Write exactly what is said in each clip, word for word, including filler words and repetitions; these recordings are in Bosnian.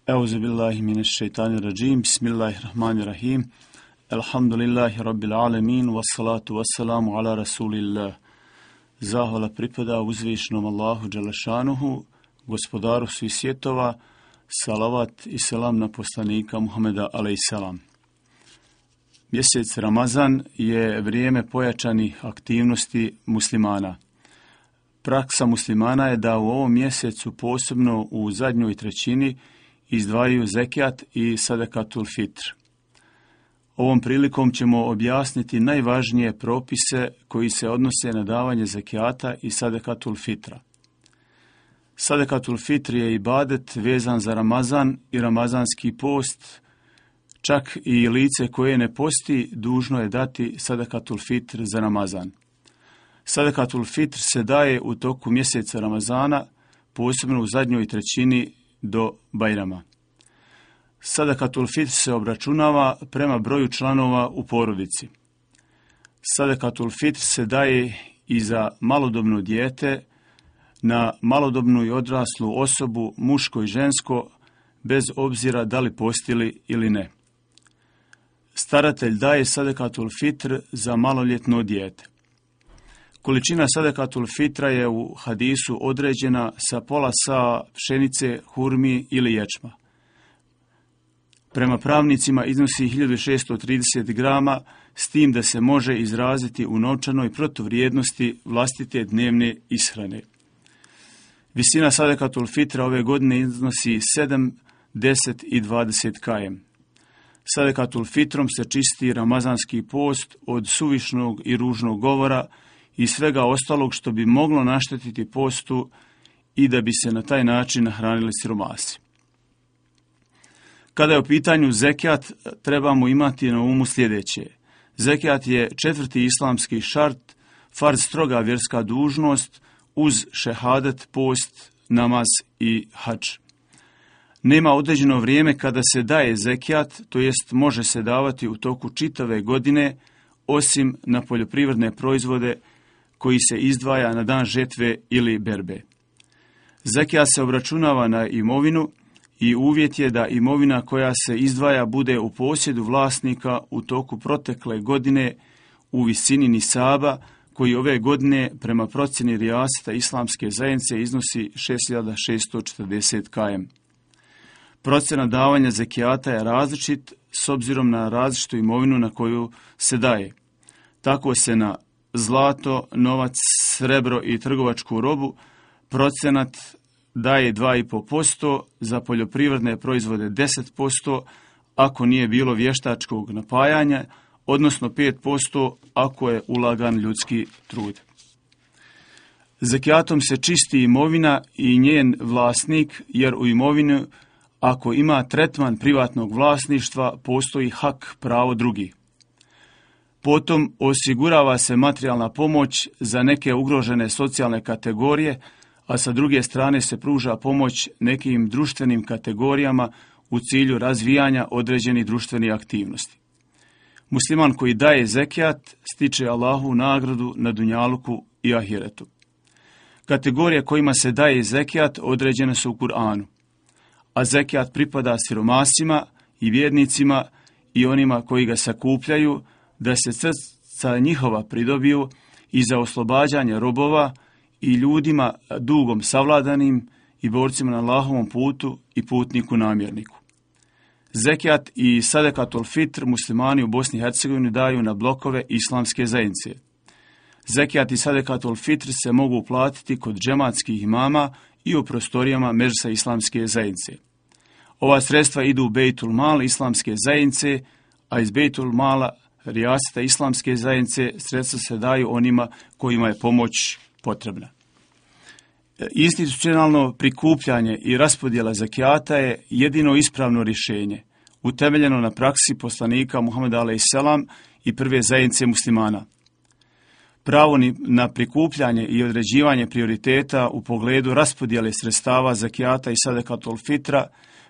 Euzu billahi mineşşeytanirracim. Bismillahirrahmanirrahim. Elhamdülillahi rabbil alamin ve salatu vesselamu ala Rasulillah. Zahvala pripada uzvišenom Allahu dželešanuhu, gospodaru svih svjetova, salavat i selam na poslanika Muhameda alejselam. Mjesec Ramazan je vrijeme pojačanih aktivnosti muslimana. Praksa muslimana je da u ovom mjesecu, posebno u zadnjoj trećini, izdvajaju zekijat i sadakatul fitr. Ovom prilikom ćemo objasniti najvažnije propise koji se odnose na davanje zekijata i sadakatul fitra. Sadakatul fitr je ibadet vezan za Ramazan i ramazanski post. Čak i lice koje ne posti dužno je dati sadakatul fitr za Ramazan. Sadakatul fitr se daje u toku mjeseca Ramazana, posebno u zadnjoj trećini do Bajrama. Sadakatul fitr se obračunava prema broju članova u porodici. Sadakatul fitr se daje i za malodobno dijete, na malodobnu i odraslu osobu, muško i žensko, bez obzira da li postili ili ne. Staratelj daje sadakatul fitr za maloljetno dijete. Količina sadakatul fitra je u hadisu određena sa pola sa pšenice, hurmi ili ječma. Prema pravnicima iznosi hiljadu šessto trideset grama, s tim da se može izraziti u novčanoj protuvrijednosti vlastite dnevne ishrane. Visina sadakatul fitra ove godine iznosi sedam, deset i dvadeset km. Sadakatul fitrom se čisti ramazanski post od suvišnog i ružnog govora i svega ostalog što bi moglo naštetiti postu i da bi se na taj način nahranili siromasi. Kada je u pitanju zekijat, trebamo imati na umu sljedeće. Zekijat je četvrti islamski šart, farz stroga vjerska dužnost uz šehadet, post, namaz i hadž. Nema određeno vrijeme kada se daje zekijat, to jest može se davati u toku čitave godine, osim na poljoprivredne proizvode koji se izdvaja na dan žetve ili berbe. Zekijat se obračunava na imovinu i uvjet je da imovina koja se izdvaja bude u posjedu vlasnika u toku protekle godine u visini nisaba, koji ove godine prema procjeni rijaseta islamske zajednice iznosi šest hiljada šessto četrdeset km. Procjena davanja zekijata je različit s obzirom na različitu imovinu na koju se daje. Tako se na zlato, novac, srebro i trgovačku robu procenat daje dva i pol posto, za poljoprivredne proizvode deset posto ako nije bilo vještačkog napajanja, odnosno pet posto ako je ulagan ljudski trud. Zekijatom se čisti imovina i njen vlasnik, jer u imovini ako ima tretman privatnog vlasništva postoji hak, pravo drugih. Potom osigurava se materijalna pomoć za neke ugrožene socijalne kategorije, a sa druge strane se pruža pomoć nekim društvenim kategorijama u cilju razvijanja određenih društvenih aktivnosti. Musliman koji daje zekijat stiče Allahu nagradu na dunjaluku i ahiretu. Kategorije kojima se daje zekijat određene su u Kur'anu, a zekijat pripada siromasima i vjernicima i onima koji ga sakupljaju, da se srca njihova pridobiju i za oslobađanje robova i ljudima dugom savladanim i borcima na Allahovom putu i putniku namjerniku. Zekijat i sadakatul fitr muslimani u Bosni i Hercegovini daju na blokove islamske zajednice. Zekijat i sadakatul fitr se mogu platiti kod džematskih imama i u prostorijama Medžlisa islamske zajednice. Ova sredstva idu u Bejtul Mal islamske zajednice, a iz Bejtul Mala rijaseta islamske zajednice sredstva se daju onima kojima je pomoć potrebna. Institucionalno prikupljanje i raspodjela zekijata je jedino ispravno rješenje, utemeljeno na praksi poslanika Muhameda alejselam i prve zajednice muslimana. Pravo na prikupljanje i određivanje prioriteta u pogledu raspodjele sredstava zekijata i sadakatul fitra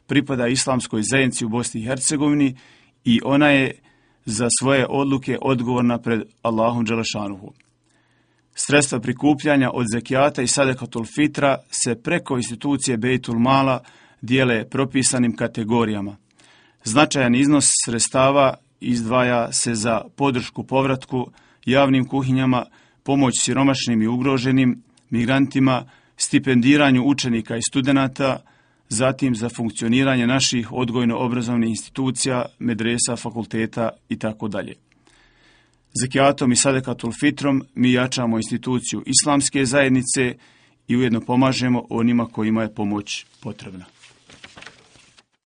pripada islamskoj zajednici u Bosni i Hercegovini i ona je za svoje odluke odgovorna pred Allahom dželešanuhu. Sredstva prikupljanja od zekijata i sadakatul fitra se preko institucije Bejtul Mala dijele propisanim kategorijama. Značajan iznos sredstava izdvaja se za podršku povratku, javnim kuhinjama, pomoć siromašnim i ugroženim, migrantima, stipendiranju učenika i studenata, zatim za funkcioniranje naših odgojno-obrazovnih institucija, medresa, fakulteta itd. Zekijatom i sadekatul fitrom mi jačamo instituciju islamske zajednice i ujedno pomažemo onima kojima je pomoć potrebna.